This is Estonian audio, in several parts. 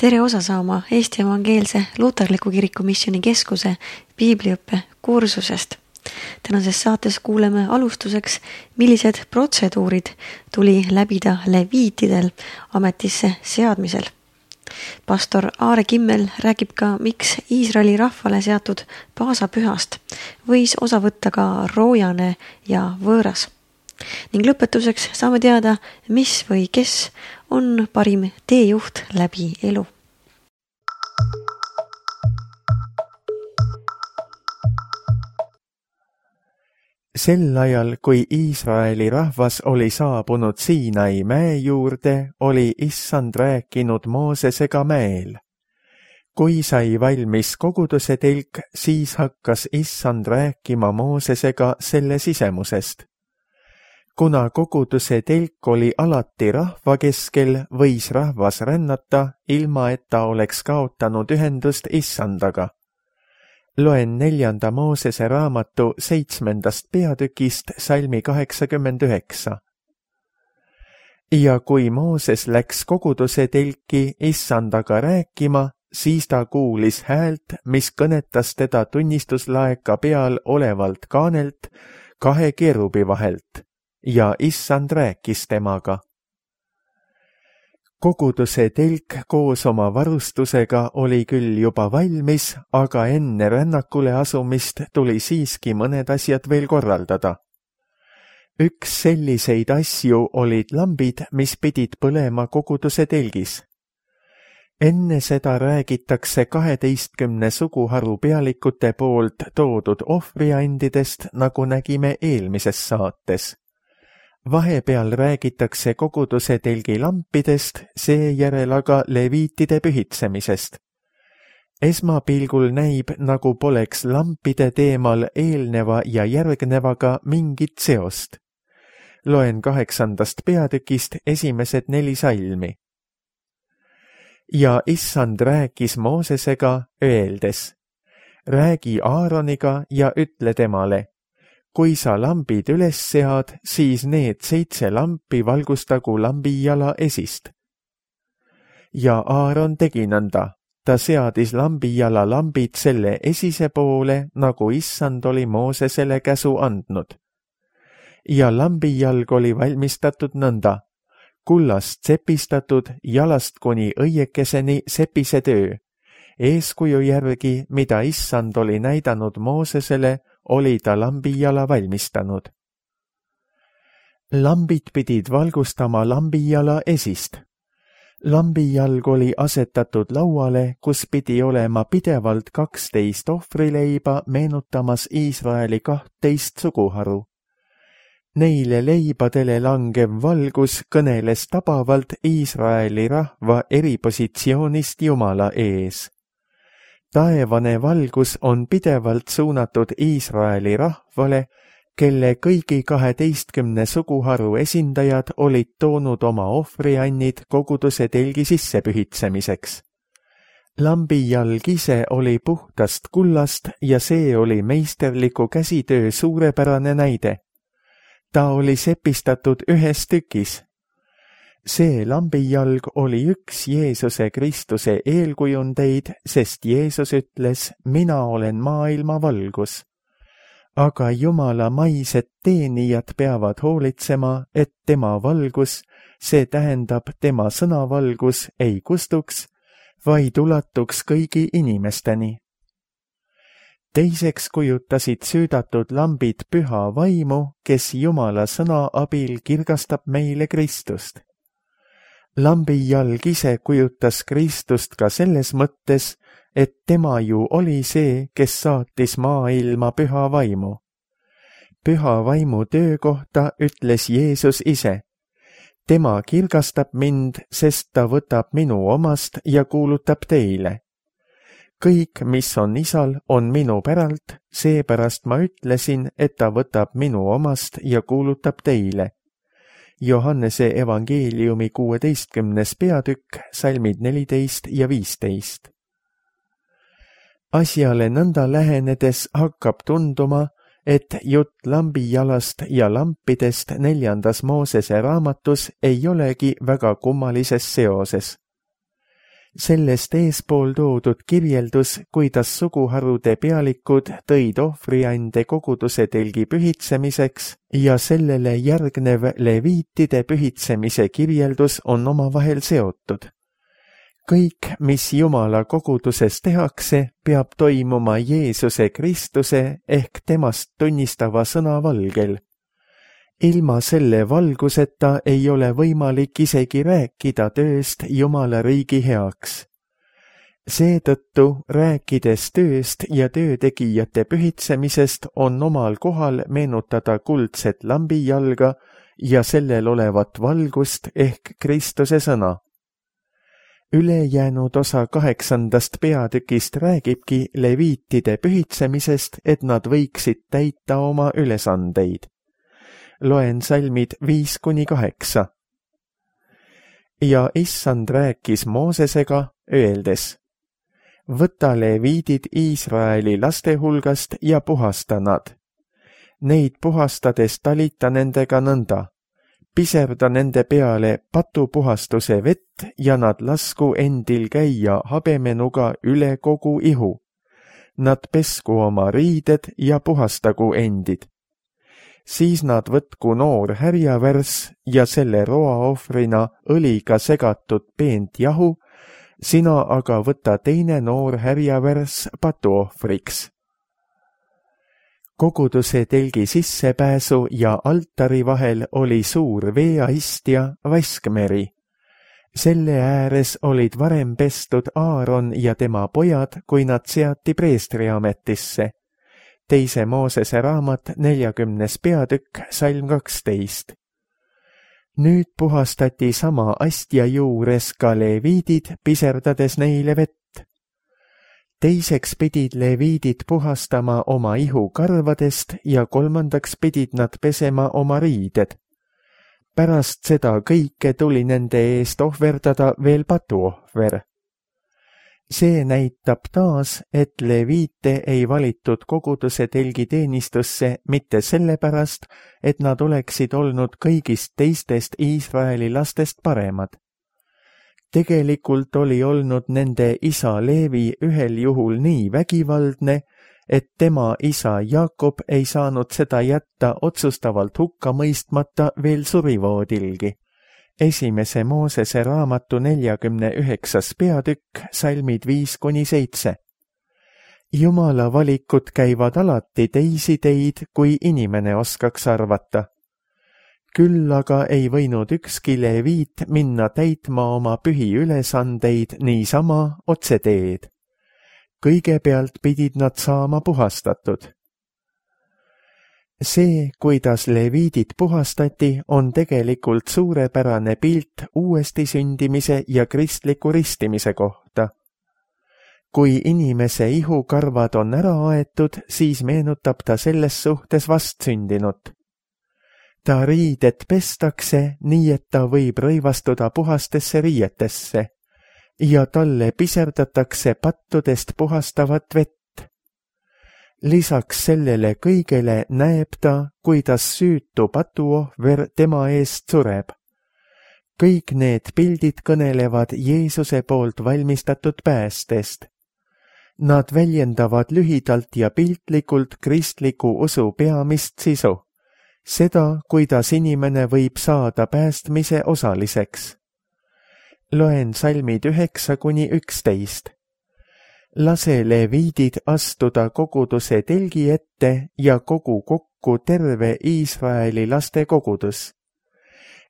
Tere osa saama Eesti Evangeelse Luterliku Kiriku Missiooni Keskuse piibliõppe kursusest. Tänases saates kuuleme alustuseks, millised protseduurid tuli läbida leviitidel ametisse seadmisel. Pastor Aare Kimmel räägib ka, miks Iisraeli rahvale seatud paasapühast võis osa võtta ka roojane ja võõras. Ning lõpetuseks saame teada, mis või kes on parim teejuht läbi elu. Sel ajal, kui Iisraeli rahvas oli saabunud Siinai mäe juurde, oli Issand rääkinud Moosesega mäel. Kui sai valmis koguduse telk, siis hakkas Issand rääkima Moosesega selle sisemusest. Kuna koguduse telk oli alati rahva keskel, võis rahvas rännata, ilma et ta oleks kaotanud ühendust Issandaga. Loen 4. Moosese raamatu 7. peatükist salmi 89. Ja kui Mooses läks koguduse telki Issandaga rääkima, siis ta kuulis häält, mis kõnetas teda tunnistuslaeka peal olevalt kaanelt 2 kerubi vahelt. Ja Issand rääkis temaga. Koguduse telk koos oma varustusega oli küll juba valmis, aga enne rännakule asumist tuli siiski mõned asjad veel korraldada. Üks selliseid asju olid lambid, mis pidid põlema koguduse telgis. Enne seda räägitakse 12 suguharu pealikute poolt toodud ohvriandidest, nagu nägime eelmises saates. Vahepeal räägitakse koguduse telgi lampidest, seejärel aga leviitide pühitsemisest. Esmapilgul näib, nagu poleks lampide teemal eelneva ja järgnevaga mingit seost. Loen 8. peatükist esimesed 4 salmi. Ja Issand rääkis Moosesega, öeldes: räägi Aaroniga ja ütle temale: kui sa lambid üles sead, siis need 7 lampi valgustagu lambijala esist. Ja Aaron tegi nõnda, ta seadis lambijala lambid selle esise poole, nagu Issand oli Moosesele käsu andnud. Ja lambijalg oli valmistatud nõnda, kullast sepistatud, jalast kuni õiekeseni sepise töö. Eeskuju järgi, mida Issand oli näidanud Moosesele, oli ta lambijala valmistanud. Lambid pidid valgustama lambijala esist. Lambijalg oli asetatud lauale, kus pidi olema pidevalt 12 ohvrileiba, meenutamas Iisraeli 12 suguharu. Neile leibadele langev valgus kõneles tabavalt Iisraeli rahva eripositsioonist Jumala ees. Taevane valgus on pidevalt suunatud Iisraeli rahvale, kelle kõigi 12 suguharu esindajad olid toonud oma ohvriannid koguduse telgi sisse pühitsemiseks. Lambijalg ise oli puhtast kullast ja see oli meisterliku käsitöö suurepärane näide. Ta oli sepistatud 1 tükis. See lambijalg oli üks Jeesuse Kristuse eelkujundeid, sest Jeesus ütles: mina olen maailma valgus. Aga Jumala maised teenijad peavad hoolitsema, et tema valgus, see tähendab tema sõnavalgus, ei kustuks, vaid ulatuks kõigi inimesteni. Teiseks kujutasid süüdatud lambid püha vaimu, kes Jumala sõna abil kirgastab meile Kristust. Lambijalg ise kujutas Kristust ka selles mõttes, et tema ju oli see, kes saatis maailma püha vaimu. Püha vaimu töö kohta ütles Jeesus ise: tema kirgastab mind, sest ta võtab minu omast ja kuulutab teile. Kõik, mis on Isal, on minu päralt, seepärast ma ütlesin, et ta võtab minu omast ja kuulutab teile. Johannese evangeeliumi 16. peatükk, salmid 14 ja 15. Asjale nõnda lähenedes hakkab tunduma, et jutt lambijalast ja lampidest 4. Moosese raamatus ei olegi väga kummalises seoses. Sellest eespool toodud kirjeldus, kuidas suguharude pealikud tõid ohvriande koguduse telgi pühitsemiseks ja sellele järgnev leviitide pühitsemise kirjeldus on omavahel seotud. Kõik, mis Jumala koguduses tehakse, peab toimuma Jeesuse Kristuse ehk temast tunnistava sõna valgel. Ilma selle valguseta ei ole võimalik isegi rääkida tööst Jumala riigi heaks. Seetõttu, rääkides tööst ja töötegijate pühitsemisest, on omal kohal meenutada kuldset lambijalga ja sellel olevat valgust ehk Kristuse sõna. Ülejäänud osa 8. peatükist räägibki leviitide pühitsemisest, et nad võiksid täita oma ülesandeid. Loen salmid 5-8. Ja issand rääkis Moosesega, öeldes: võta leviidid Iisraeli laste hulgast ja puhasta nad. Neid puhastades talita nendega nõnda: piserda nende peale patupuhastuse vett ja nad lasku endil käia habemenuga üle kogu ihu. Nad pesku oma riided ja puhastagu endid. Siis nad võtku noor härjavärss ja selle roaohvrina õliga segatud peent jahu, sina aga võta teine noor härjavärss patuohvriks. Koguduse telgi sissepääsu ja altari vahel oli suur veeast ja vaskmeri. Selle ääres olid varem pestud Aaron ja tema pojad, kui nad seati preestriametisse. 2. Moosese raamat 40. peatükk, salm 12. Nüüd puhastati sama astja juures ka leviidid, piserdades neile vett. Teiseks pidid leviidid puhastama oma ihu karvadest ja kolmandaks pidid nad pesema oma riided. Pärast seda kõike tuli nende eest ohverdada veel patuohver. See näitab taas, et leviite ei valitud koguduse telgi teenistusse mitte sellepärast, et nad oleksid olnud kõigist teistest Iisraeli lastest paremad. Tegelikult oli olnud nende isa Leevi ühel juhul nii vägivaldne, et tema isa Jaakob ei saanud seda jätta otsustavalt hukka mõistmata veel surivoodilgi. 1. Moosese raamatu 49. peatükk, salmid 5-7. Jumala valikud käivad alati teisi teid, kui inimene oskaks arvata. Küll aga ei võinud ükski leviit minna täitma oma pühi ülesandeid niisama otseteed. Kõigepealt pidid nad saama puhastatud. See, kuidas leviidid puhastati, on tegelikult suurepärane pilt uuesti sündimise ja kristliku ristimise kohta. Kui inimese ihukarvad on ära aetud, siis meenutab ta selles suhtes vastsündinut. Ta riided pestakse, nii et ta võib rõivastuda puhastesse riietesse ja talle piserdatakse pattudest puhastavat vett. Lisaks sellele kõigele näeb ta, kuidas süütu patuohver tema eest sureb. Kõik need pildid kõnelevad Jeesuse poolt valmistatud päästest. Nad väljendavad lühidalt ja piltlikult kristliku usu peamist sisu, seda, kuidas inimene võib saada päästmise osaliseks. Loen salmid 9-11. Lase leviidid astuda koguduse telgi ette ja kogu kokku terve Iisraeli laste kogudus.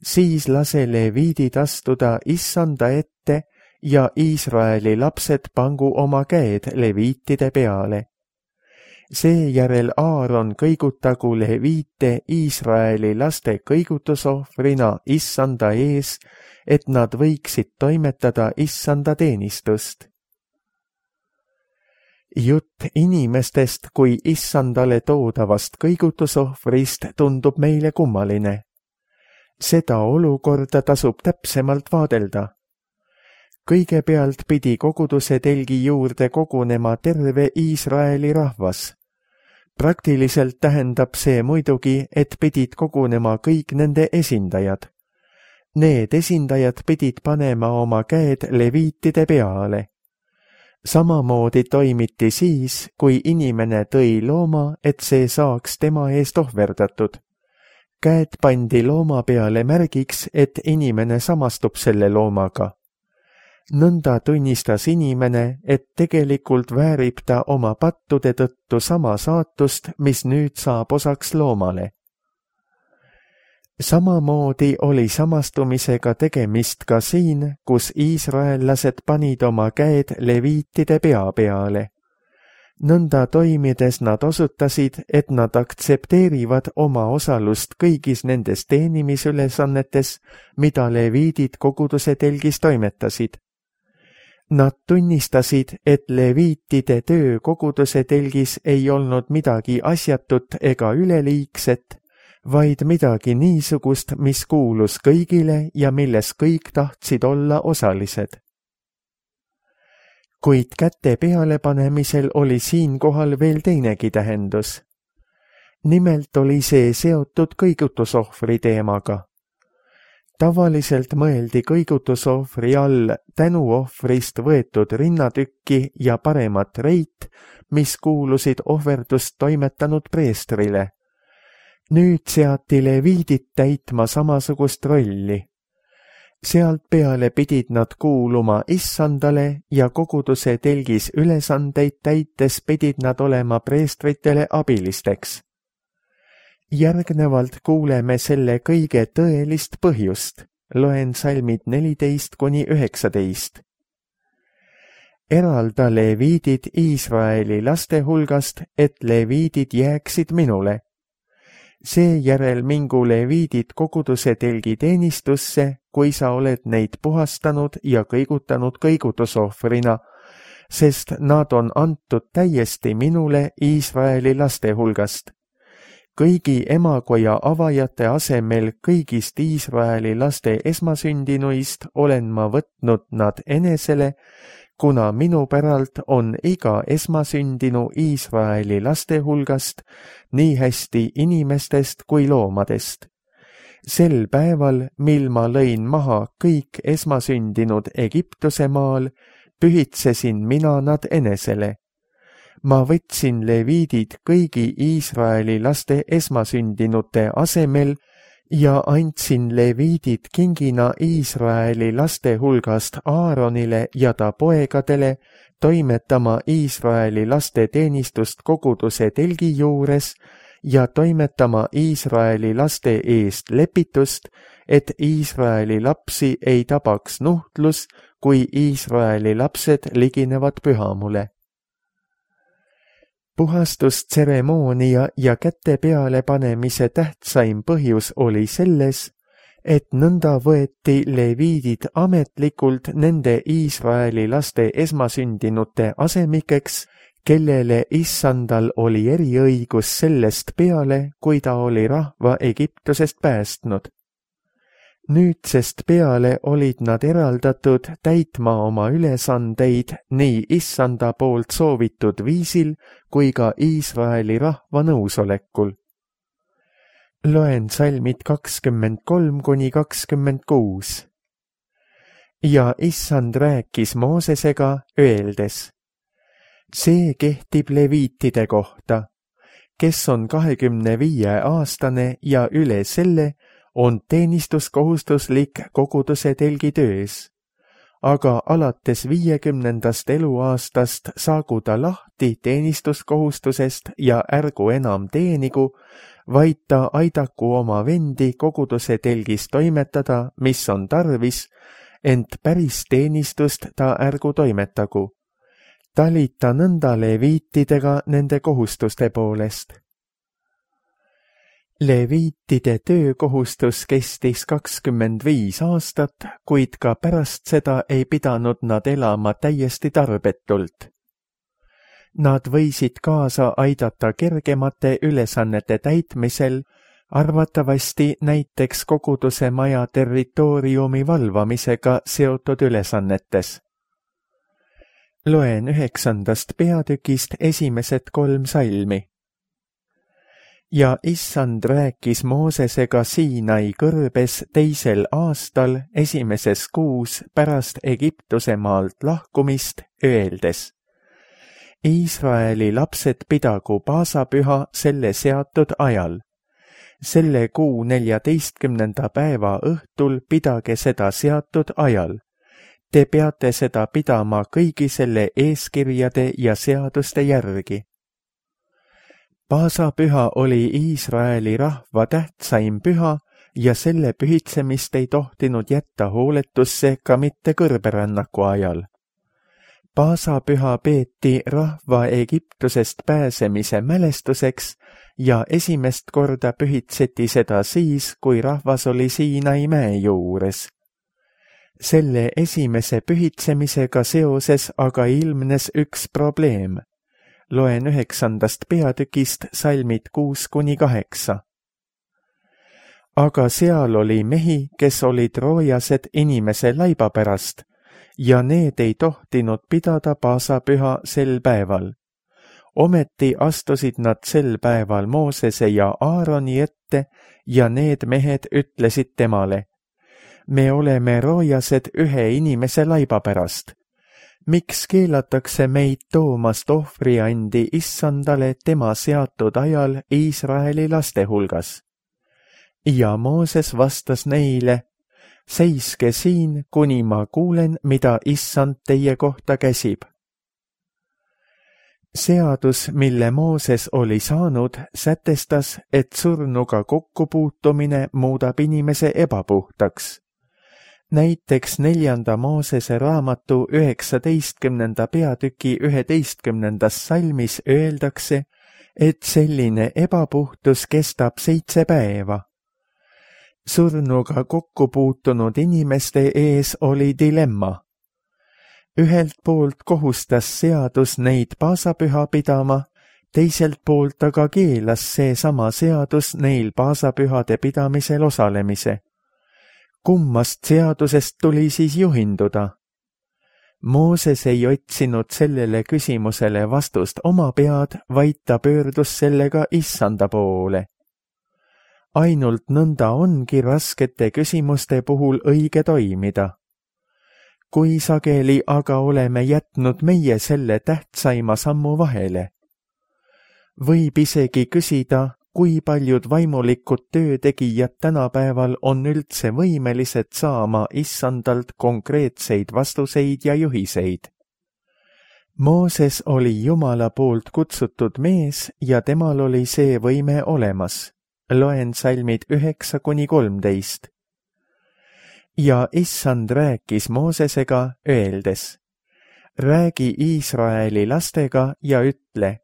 Siis lase leviidid astuda issanda ette ja Iisraeli lapsed pangu oma käed leviitide peale. Seejärel Aaron kõigutagu leviite Iisraeli laste kõigutusohvrina issanda ees, et nad võiksid toimetada issanda teenistust. Jutt inimestest kui issandale toodavast kõigutusohvrist tundub meile kummaline. Seda olukorda tasub täpsemalt vaadelda. Kõigepealt pidi koguduse telgi juurde kogunema terve Iisraeli rahvas. Praktiliselt tähendab see muidugi, et pidid kogunema kõik nende esindajad. Need esindajad pidid panema oma käed leviitide peale. Samamoodi toimiti siis, kui inimene tõi looma, et see saaks tema eest ohverdatud. Käed pandi looma peale märgiks, et inimene samastub selle loomaga. Nõnda tunnistas inimene, et tegelikult väärib ta oma pattude tõttu sama saatust, mis nüüd saab osaks loomale. Samamoodi oli samastumisega tegemist ka siin, kus iisraellased panid oma käed leviitide pea peale. Nõnda toimides nad osutasid, et nad aktsepteerivad oma osalust kõigis nendes teenimisülesannetes, mida leviidid koguduse telgis toimetasid. Nad tunnistasid, et leviitide töö koguduse telgis ei olnud midagi asjatut ega üleliigset, vaid midagi niisugust, mis kuulus kõigile ja milles kõik tahtsid olla osalised. Kuid käte pealepanemisel oli siinkohal veel teinegi tähendus. Nimelt oli see seotud kõigutusohvri teemaga. Tavaliselt mõeldi kõigutusohvri all tänuohvrist võetud rinnatükki ja paremat reit, mis kuulusid ohverdust toimetanud preestrile. Nüüd seati leviidid täitma samasugust rolli. Sealt peale pidid nad kuuluma issandale ja koguduse telgis ülesandeid täites pidid nad olema preestritele abilisteks. Järgnevalt kuuleme selle kõige tõelist põhjust. Loen salmid 14–19. Eralda leviidid Iisraeli laste hulgast, et leviidid jääksid minule. Seejärel mingu leviidid koguduse telgi teenistusse, kui sa oled neid puhastanud ja kõigutanud kõigutusohvrina, sest nad on antud täiesti minule Iisraeli laste hulgast. Kõigi emakoja avajate asemel kõigist Iisraeli laste esmasündinuist olen ma võtnud nad enesele, kuna minu päralt on iga esmasündinu Iisraeli laste hulgast, nii hästi inimestest kui loomadest. Sel päeval, mil ma lõin maha kõik esmasündinud Egiptuse maal, pühitsesin mina nad enesele. Ma võtsin leviidid kõigi Iisraeli laste esmasündinute asemel ja andsin leviidid kingina Iisraeli laste hulgast Aaronile ja ta poegadele toimetama Iisraeli laste teenistust koguduse telgi juures ja toimetama Iisraeli laste eest lepitust, et Iisraeli lapsi ei tabaks nuhtlus, kui Iisraeli lapsed liginevad pühamule. Puhastustseremoonia ja käte peale panemise tähtsaim põhjus oli selles, et nõnda võeti leviidid ametlikult nende Iisraeli laste esmasündinute asemikeks, kellele issandal oli eriõigus sellest peale, kui ta oli rahva Egiptusest päästnud. Nüüdsest peale olid nad eraldatud täitma oma ülesandeid nii issanda poolt soovitud viisil kui ka Iisraeli rahva nõusolekul. Loen salmid 23–26. Ja issand rääkis Moosesega, öeldes: see kehtib leviitide kohta, kes on 25-aastane ja üle selle, on teenistuskohustuslik koguduse telgi töös, aga alates 50. eluaastast saagu ta lahti teenistuskohustusest ja ärgu enam teenigu, vaid ta aidaku oma vendi koguduse telgis toimetada, mis on tarvis, ent päris teenistust ta ärgu toimetagu. Talita nõnda leviitidega nende kohustuste poolest. Leviitide töökohustus kestis 25 aastat, kuid ka pärast seda ei pidanud nad elama täiesti tarbetult. Nad võisid kaasa aidata kergemate ülesannete täitmisel, arvatavasti näiteks koguduse maja territooriumi valvamisega seotud ülesannetes. Loen 9. peatükist esimesed 3 salmi. ja issand rääkis Moosesega Siinai kõrbes 2. aastal 1. kuus pärast Egiptuse maalt lahkumist, öeldes: Iisraeli lapsed pidagu paasapüha selle seatud ajal. Selle kuu 14. päeva õhtul pidage seda seatud ajal. Te peate seda pidama kõigi selle eeskirjade ja seaduste järgi. Paasapüha oli Iisraeli rahva tähtsaim püha ja selle pühitsemist ei tohtinud jätta hooletusse ka mitte kõrberännaku ajal. Paasapüha peeti rahva Egiptusest pääsemise mälestuseks ja esimest korda pühitseti seda siis, kui rahvas oli Siinai mäe juures. Selle esimese pühitsemisega seoses aga ilmnes üks probleem. Loen 9. peatükist salmid 6-8. Aga seal oli mehi, kes olid roojased inimese laiba pärast, ja need ei tohtinud pidada paasapüha sel päeval. Ometi astusid nad sel päeval Moosese ja Aaroni ette ja need mehed ütlesid temale: Me oleme roojased ühe inimese laiba pärast. Miks keelatakse meid toomast ohvriandi issandale tema seatud ajal Iisraeli laste hulgas? Ja Mooses vastas neile: Seiske siin, kuni ma kuulen, mida issand teie kohta käsib. Seadus, mille Mooses oli saanud, sätestas, et surnuga kokkupuutumine muudab inimese ebapuhtaks. Näiteks 4. Moosese raamatu 19. peatüki 11. salmis öeldakse, et selline ebapuhtus kestab 7 päeva. Surnuga kokkupuutunud inimeste ees oli dilemma. Ühelt poolt kohustas seadus neid paasapüha pidama, teiselt poolt aga keelas seesama seadus neil paasapühade pidamisel osalemise. Kummast seadusest tuli siis juhinduda? Mooses ei otsinud sellele küsimusele vastust oma pead, vaid ta pöördus sellega issanda poole. Ainult nõnda ongi raskete küsimuste puhul õige toimida. Kui sageli aga oleme jätnud meie selle tähtsaima sammu vahele? Võib isegi küsida, kui paljud vaimulikud töötegijad tänapäeval on üldse võimelised saama issandalt konkreetseid vastuseid ja juhiseid. Mooses oli Jumala poolt kutsutud mees ja temal oli see võime olemas. Loen salmid 9-13. Ja issand rääkis Moosesega, öeldes: Räägi Iisraeli lastega ja ütle: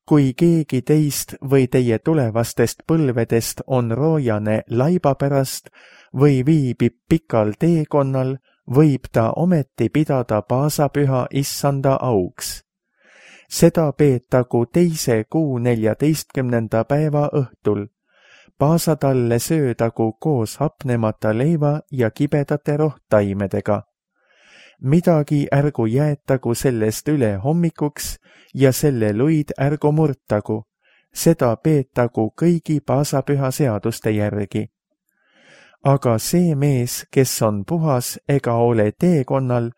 Kui keegi teist või teie tulevastest põlvedest on roojane laiba pärast või viibib pikal teekonnal, võib ta ometi pidada paasapüha issanda auks. Seda peetagu 2. kuu 14. päeva õhtul. Paasa talle söödagu koos hapnemata leiva ja kibedate rohtaimedega. Midagi ärgu jäetagu sellest üle hommikuks ja selle luid ärgu murtagu, seda peetagu kõigi paasapüha seaduste järgi. Aga see mees, kes on puhas ega ole teekonnal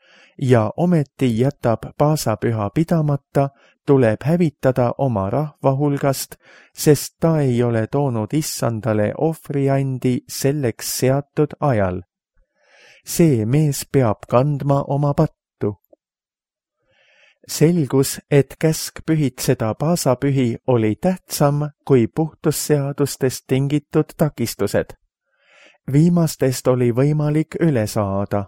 ja ometi jätab paasapüha pidamata, tuleb hävitada oma rahva hulgast, sest ta ei ole toonud issandale ohvriandi selleks seatud ajal. See mees peab kandma oma pattu. Selgus, et käsk pühitseda paasapühi oli tähtsam kui puhtusseadustest tingitud takistused. Viimastest oli võimalik üle saada.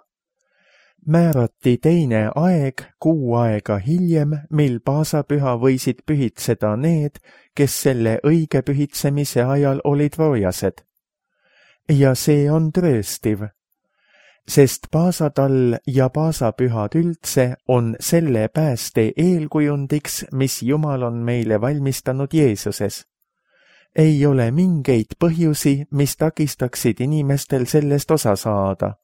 Määrati teine aeg 6 aega hiljem, mil paasapüha võisid pühitseda need, kes selle õige pühitsemise ajal olid roojased. Ja see on trööstiv, sest paasatall ja paasapühad üldse on selle pääste eelkujundiks, mis Jumal on meile valmistanud Jeesuses. Ei ole mingeid põhjusi, mis takistaksid inimestel sellest osa saada.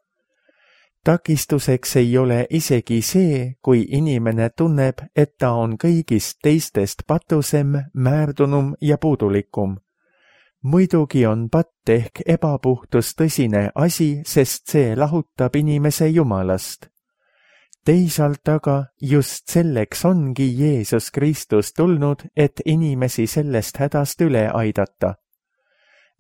Takistuseks ei ole isegi see, kui inimene tunneb, et ta on kõigist teistest patusem, määrdunum ja puudulikum. muidugi on patt ehk ebapuhtus tõsine asi, sest see lahutab inimese Jumalast. Teisalt aga just selleks ongi Jeesus Kristus tulnud, et inimesi sellest hädast üle aidata.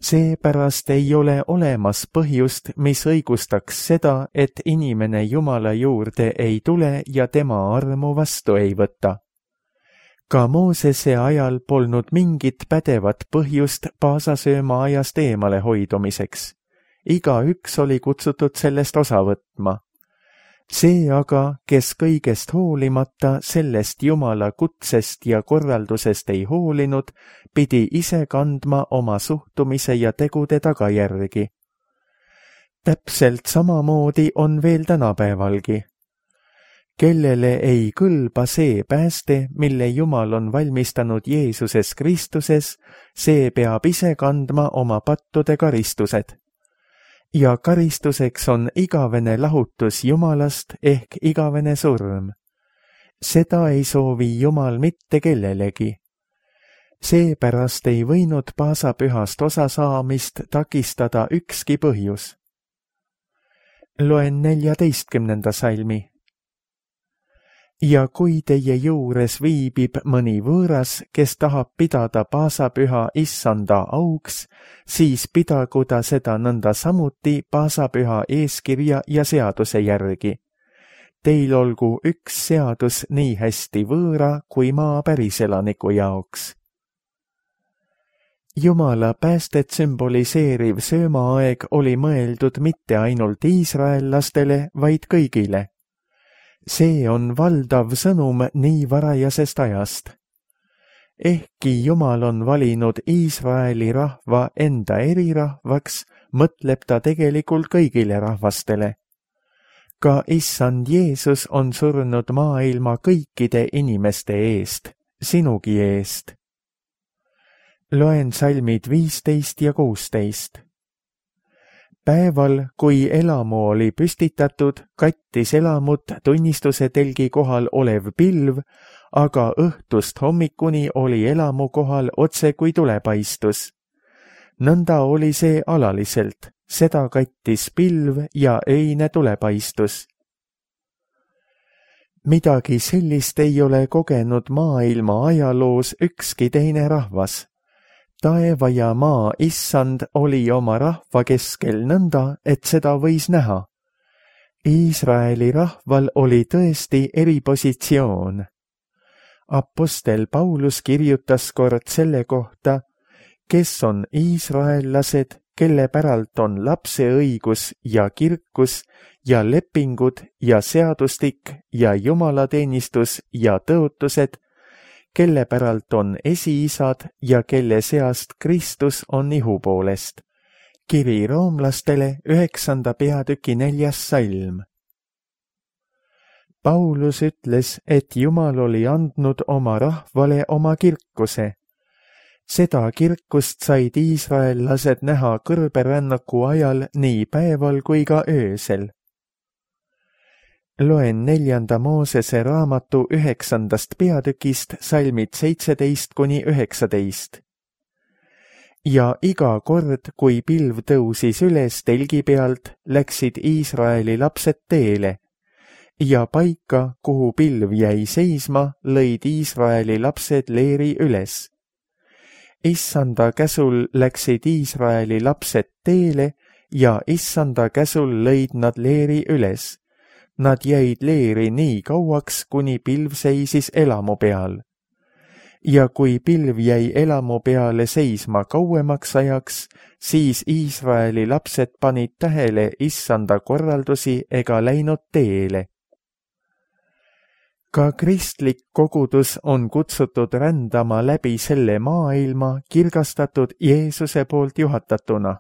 Seepärast ei ole olemas põhjust, mis õigustaks seda, et inimene Jumala juurde ei tule ja tema armu vastu ei võta. Ka Moosese ajal polnud mingit pädevat põhjust paasasööma ajast eemale hoidumiseks. Igaüks oli kutsutud sellest osa võtma. See aga, kes kõigest hoolimata sellest Jumala kutsest ja korraldusest ei hoolinud, pidi ise kandma oma suhtumise ja tegude tagajärgi. Täpselt samamoodi on veel tänapäevalgi. Kellele ei kõlba see pääste, mille Jumal on valmistanud Jeesuses Kristuses, see peab ise kandma oma pattude karistused. Ja karistuseks on igavene lahutus Jumalast ehk igavene surm. Seda ei soovi Jumal mitte kellelegi. Seepärast ei võinud paasapühast osa saamist takistada ükski põhjus. Loen 14. salmi. Ja kui teie juures viibib mõni võõras, kes tahab pidada paasapüha issanda auks, siis pidagu ta seda nõnda samuti paasapüha eeskirja ja seaduse järgi. Teil olgu üks seadus nii hästi võõra kui maa päriselaniku jaoks. Jumala päästet sümboliseeriv söömaaeg oli mõeldud mitte ainult iisraellastele, vaid kõigile. See on valdav sõnum nii varajasest ajast. Ehkki Jumal on valinud Iisraeli rahva enda erirahvaks, mõtleb ta tegelikult kõigile rahvastele. Ka issand Jeesus on surnud maailma kõikide inimeste eest, sinugi eest. Loen salmid 15 ja 16. Päeval, kui elamu oli püstitatud, kattis elamut tunnistuse telgi kohal olev pilv, aga õhtust hommikuni oli elamu kohal otse kui tulepaistus. Nõnda oli see alaliselt, seda kattis pilv ja öine tulepaistus. Midagi sellist ei ole kogenud maailma ajaloos ükski teine rahvas. Taeva ja maa issand oli oma rahva keskel nõnda, et seda võis näha. Iisraeli rahval oli tõesti eripositsioon. Apostel Paulus kirjutas kord selle kohta, kes on iisraellased, kelle päralt on lapseõigus ja kirkus ja lepingud ja seadustik ja jumalateenistus ja tõotused, kelle päralt on esiisad ja kelle seast Kristus on ihu poolest. Kiri roomlastele 9. peatüki 4. salm. Paulus ütles, et Jumal oli andnud oma rahvale oma kirkuse. Seda kirkust said iisraellased näha kõrberännaku ajal nii päeval kui ka öösel. Loen 4. Moosese raamatu 9. peatükist salmid 17 kuni 19. Ja iga kord, kui pilv tõusis üles telgi pealt, läksid Iisraeli lapsed teele. Ja paika, kuhu pilv jäi seisma, lõid Iisraeli lapsed leeri üles. Issanda käsul läksid Iisraeli lapsed teele ja issanda käsul lõid nad leeri üles. Nad jäid leeri nii kauaks, kuni pilv seisis elamu peal. Ja kui pilv jäi elamu peale seisma kauemaks ajaks, siis Iisraeli lapsed panid tähele issanda korraldusi ega läinud teele. Ka kristlik kogudus on kutsutud rändama läbi selle maailma kirgastatud Jeesuse poolt juhatatuna.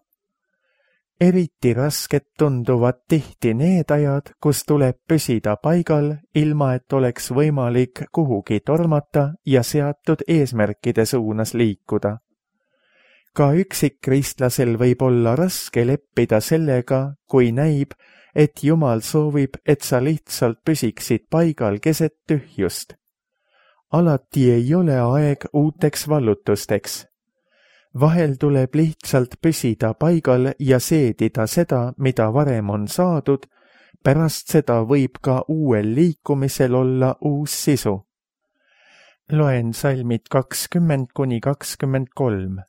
Eriti rasked tunduvad tihti need ajad, kus tuleb püsida paigal, ilma et oleks võimalik kuhugi tormata ja seatud eesmärkide suunas liikuda. Ka üksikkristlasel võib olla raske leppida sellega, kui näib, et Jumal soovib, et sa lihtsalt püsiksid paigal keset tühjust. Alati ei ole aeg uuteks vallutusteks. vahel tuleb lihtsalt püsida paigal ja seedida seda, mida varem on saadud, pärast seda võib ka uuel liikumisel olla uus sisu. Loen salmid 20–23.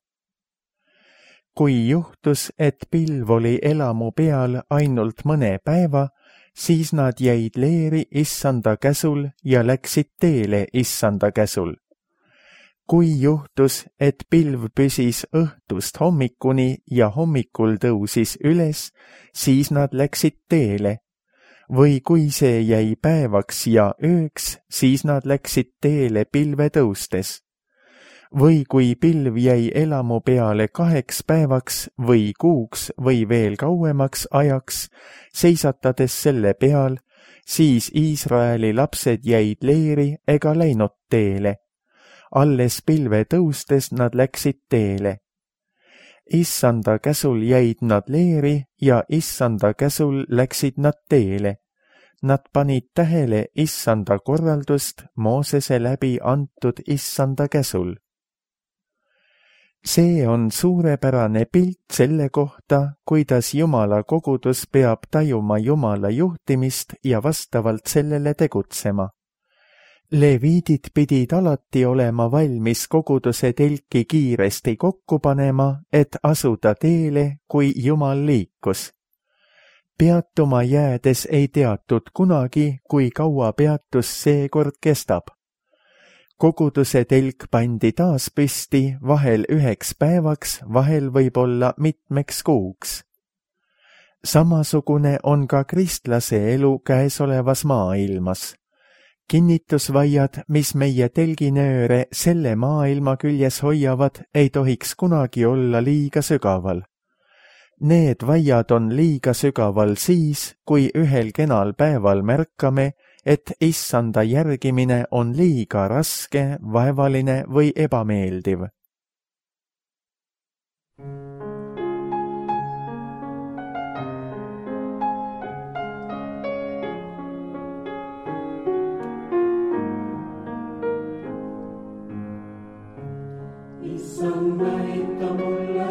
Kui juhtus, et pilv oli elamu peal ainult mõne päeva, siis nad jäid leeri issanda käsul ja läksid teele issanda käsul. Kui juhtus, et pilv püsis õhtust hommikuni ja hommikul tõusis üles, siis nad läksid teele. Või kui see jäi päevaks ja ööks, siis nad läksid teele pilve tõustes. Või kui pilv jäi elamu peale 2 päevaks või kuuks või veel kauemaks ajaks, seisatades selle peal, siis Iisraeli lapsed jäid leeri ega läinud teele. Alles pilve tõustes nad läksid teele. Issanda käsul jäid nad leeri ja issanda käsul läksid nad teele. Nad panid tähele issanda korraldust Moosese läbi antud issanda käsul. See on suurepärane pilt selle kohta, kuidas Jumala kogudus peab tajuma Jumala juhtimist ja vastavalt sellele tegutsema. Leviidid pidid alati olema valmis koguduse telki kiiresti kokku panema, et asuda teele, kui Jumal liikus. Peatuma jäädes ei teatud kunagi, kui kaua peatus seekord kestab. Koguduse telk pandi taas püsti vahel 1 päevaks, vahel võib-olla mitmeks kuuks. Samasugune on ka kristlase elu käesolevas maailmas. Kinnitusvaiad, mis meie telginööre selle maailma küljes hoiavad, ei tohiks kunagi olla liiga sügaval. Need vaiad on liiga sügaval siis, kui ühel kenal päeval märkame, et issanda järgimine on liiga raske, vaevaline või ebameeldiv. Issand, näita mulle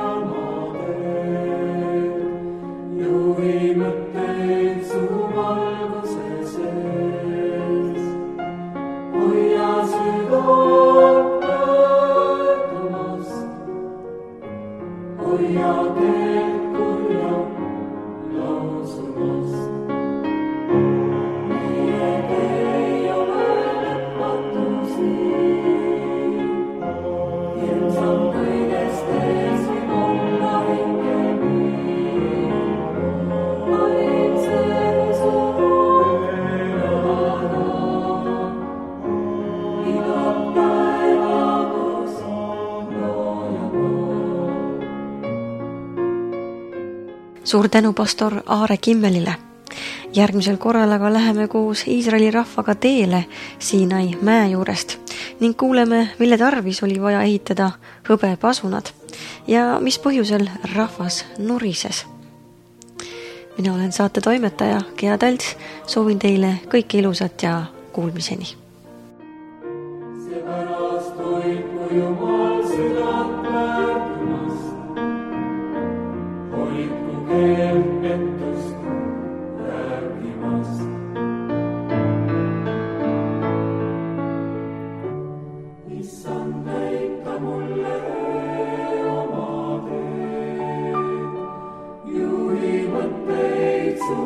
oma teed, juhi mõtteid su valguse sees. Hoia südant möödumast, hoia teed kurja lausumast. Meie tee ei ole lõpmatus nii. Ilmsam kõigest ees võib olla hingemi. Vaimsel su rõõmada, iga päeva, kus looja maa. Suur tänu pastor Aare Kimmelile. Järgmisel korral aga läheme koos Iisraeli rahvaga teele Siinai mäe juurest ning kuuleme, mille tarvis oli vaja ehitada hõbepasunad ja mis põhjusel rahvas nurises. Mina olen saate toimetaja Gea Talts, soovin teile kõike ilusat ja kuulmiseni. Seepärast hoidku Jumal südant väärtumast, hoidku keelt pettust rääkimast. Issand, näita mulle oma teed, juhi mõtteid su